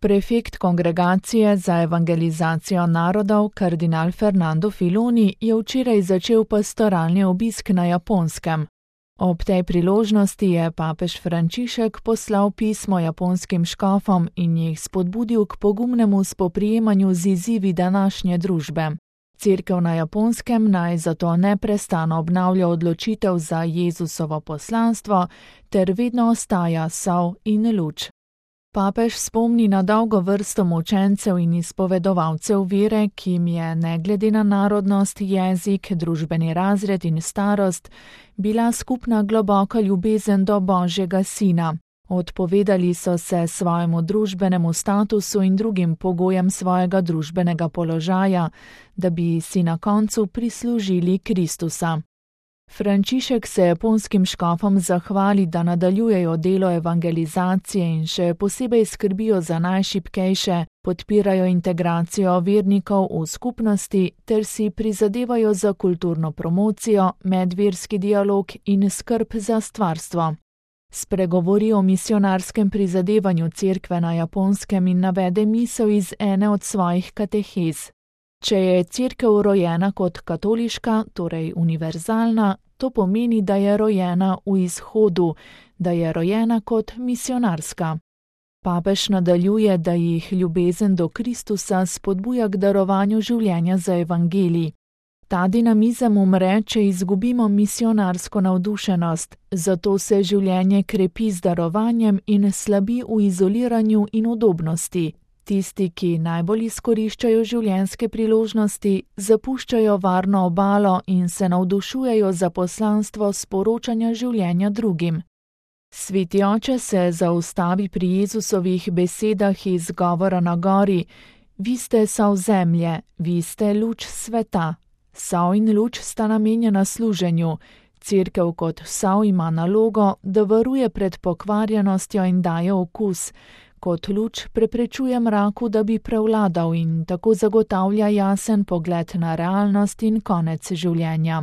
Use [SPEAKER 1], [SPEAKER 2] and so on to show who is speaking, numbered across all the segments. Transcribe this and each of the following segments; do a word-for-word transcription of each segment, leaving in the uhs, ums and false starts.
[SPEAKER 1] Prefekt Kongregacije za evangelizacijo narodov, kardinal Fernando Filoni, je včeraj začel pastoralni obisk na Japonskem. Ob tej priložnosti je papež Frančišek poslal pismo japonskim škofom in jih spodbudil k pogumnemu spoprijemanju z izzivi današnje družbe. Cerkev na Japonskem naj zato neprestano obnavlja odločitev za Jezusovo poslanstvo ter vedno ostaja sol in luč. Papež spomni na dolgo vrsto mučencev in izpovedovalcev vere, ki jim je, ne glede na narodnost, jezik, družbeni razred in starost, bila skupna globoka ljubezen do Božjega Sina. Odpovedali so se svojemu družbenemu statusu in drugim pogojem svojega družbenega položaja, da bi si na koncu prislužili Kristusa. Frančišek se japonskim škofom zahvali, da nadaljujejo delo evangelizacije in še posebej skrbijo za najšibkejše, podpirajo integracijo vernikov v skupnosti ter si prizadevajo za kulturno promocijo, medverski dialog in skrb za stvarstvo. Spregovori o misionarskem prizadevanju cerkve na Japonskem in navede misel iz ene od svojih katehez. Če je cerkev rojena kot katoliška, torej univerzalna, to pomeni, da je rojena v izhodu, da je rojena kot misionarska. Papež nadaljuje, da jih ljubezen do Kristusa spodbuja k darovanju življenja za evangelij. Ta dinamizem umre, če izgubimo misionarsko navdušenost, zato se življenje krepi z darovanjem in slabi v izoliranju in udobnosti. Tisti, ki najbolj izkoriščajo življenjske priložnosti, zapuščajo varno obalo in se navdušujejo za poslanstvo sporočanja življenja drugim. Sveti oče se zaustavi pri Jezusovih besedah iz govora na gori: Vi ste sol zemlje, vi ste luč sveta. Sol in luč sta namenjena služenju. Cerkev kot sol ima nalogo, da varuje pred pokvarjenostjo in daje okus. Kot luč preprečuje mraku, da bi prevladal in tako zagotavlja jasen pogled na realnost in konec življenja.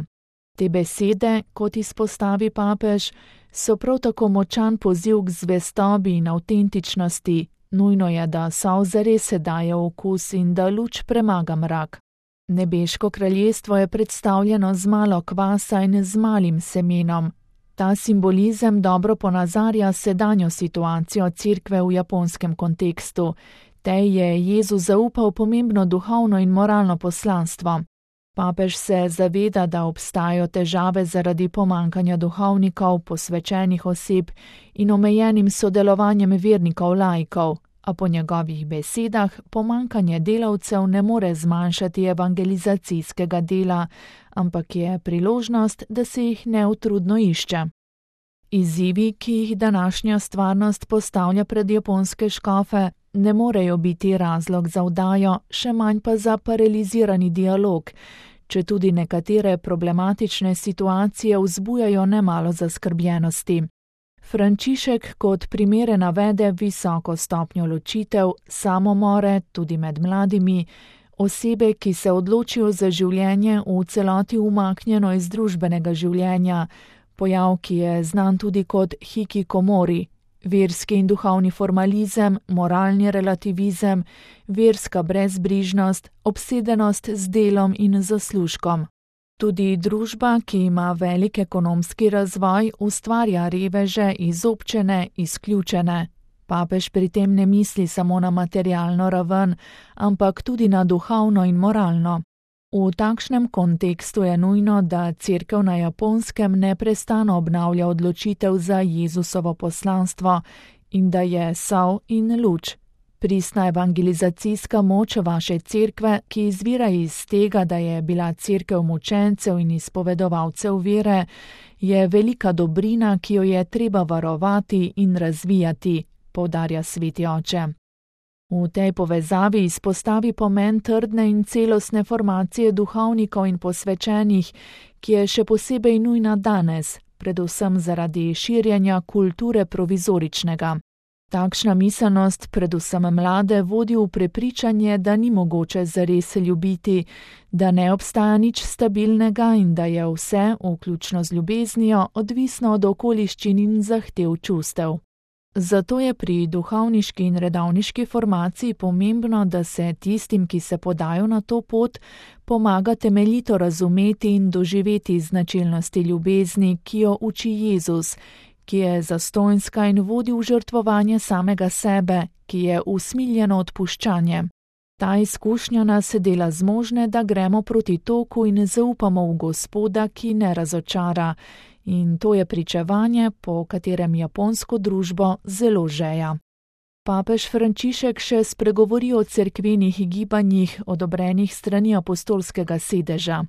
[SPEAKER 1] Te besede, kot izpostavi papež, so prav tako močan poziv k zvestobi in avtentičnosti. Nujno je, da sol zares daje okus in da luč premaga mrak. Nebeško kraljestvo je predstavljeno z malo kvasa in z malim semenom. Ta simbolizem dobro ponazarja sedanjo situacijo cerkve v japonskem kontekstu. Tej je Jezus zaupal pomembno duhovno in moralno poslanstvo. Papež se zaveda, da obstajajo težave zaradi pomankanja duhovnikov, posvečenih oseb in omejenim sodelovanjem vernikov laikov, a po njegovih besedah pomankanje delavcev ne more zmanjšati evangelizacijskega dela, ampak je priložnost, da se jih neutrudno išče. Izzivi, ki jih današnja stvarnost postavlja pred japonske škofe, ne morejo biti razlog za vdajo, še manj pa za paralizirani dialog, četudi nekatere problematične situacije vzbujajo nemalo zaskrbljenosti. Frančišek kot primere navede visoko stopnjo ločitev, samomore, tudi med mladimi, osebe, ki se odločijo za življenje v celoti umaknjeno iz družbenega življenja, pojav, ki je znan tudi kot hikikomori, verski in duhovni formalizem, moralni relativizem, verska brezbrižnost, obsedenost z delom in zaslužkom. Tudi družba, ki ima velik ekonomski razvoj, ustvarja reveže, izobčene, izključene. Papež pri tem ne misli samo na materialno raven, ampak tudi na duhovno in moralno. V takšnem kontekstu je nujno, da cerkev na Japonskem neprestano obnavlja odločitev za Jezusovo poslanstvo in da je sol in luč. Pristna evangelizacijska moč vaše cerkve, ki izvira iz tega, da je bila cerkev mučencev in izpovedovalcev vere, je velika dobrina, ki jo je treba varovati in razvijati, poudarja sveti oče. V tej povezavi izpostavi pomen trdne in celostne formacije duhovnikov in posvečenih, ki je še posebej nujna danes, predvsem zaradi širjenja kulture provizoričnega. Takšna miselnost, predvsem mlade, vodi v prepričanje, da ni mogoče zares ljubiti, da ne obstaja nič stabilnega in da je vse, vključno z ljubeznijo, odvisno od okoliščin in zahtev čustev. Zato je pri duhovniški in redovniški formaciji pomembno, da se tistim, ki se podajo na to pot, pomaga temeljito razumeti in doživeti značilnosti ljubezni, ki jo uči Jezus, ki je zastonjska in vodi v žrtvovanje samega sebe, ki je usmiljeno odpuščanje. Ta izkušnja nas dela zmožne, da gremo proti toku in zaupamo v Gospoda, ki ne razočara. In to je pričevanje, po katerem japonsko družbo zelo žeja. Papež Frančišek še spregovori o cerkvenih gibanjih, odobrenih strani apostolskega sedeža.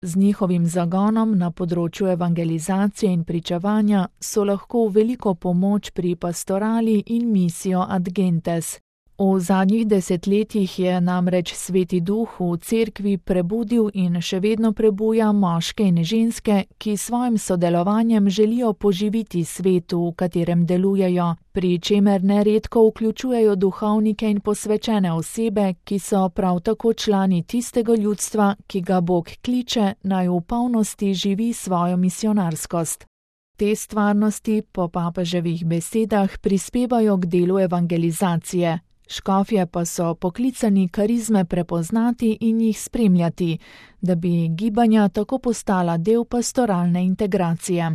[SPEAKER 1] Z njihovim zagonom na področju evangelizacije in pričevanja so lahko v veliko pomoč pri pastorali in misijo ad gentes. V zadnjih desetletjih je namreč Sveti Duh v cerkvi prebudil in še vedno prebuja moške in ženske, ki s svojim sodelovanjem želijo poživiti svet, v katerem delujejo, pri čemer neredko vključujejo duhovnike in posvečene osebe, ki so prav tako člani tistega ljudstva, ki ga Bog kliče, naj v polnosti živi svojo misionarskost. Te stvarnosti po papeževih besedah prispevajo k delu evangelizacije. Škofje pa so poklicani karizme prepoznati in jih spremljati, da bi gibanja tako postala del pastoralne integracije.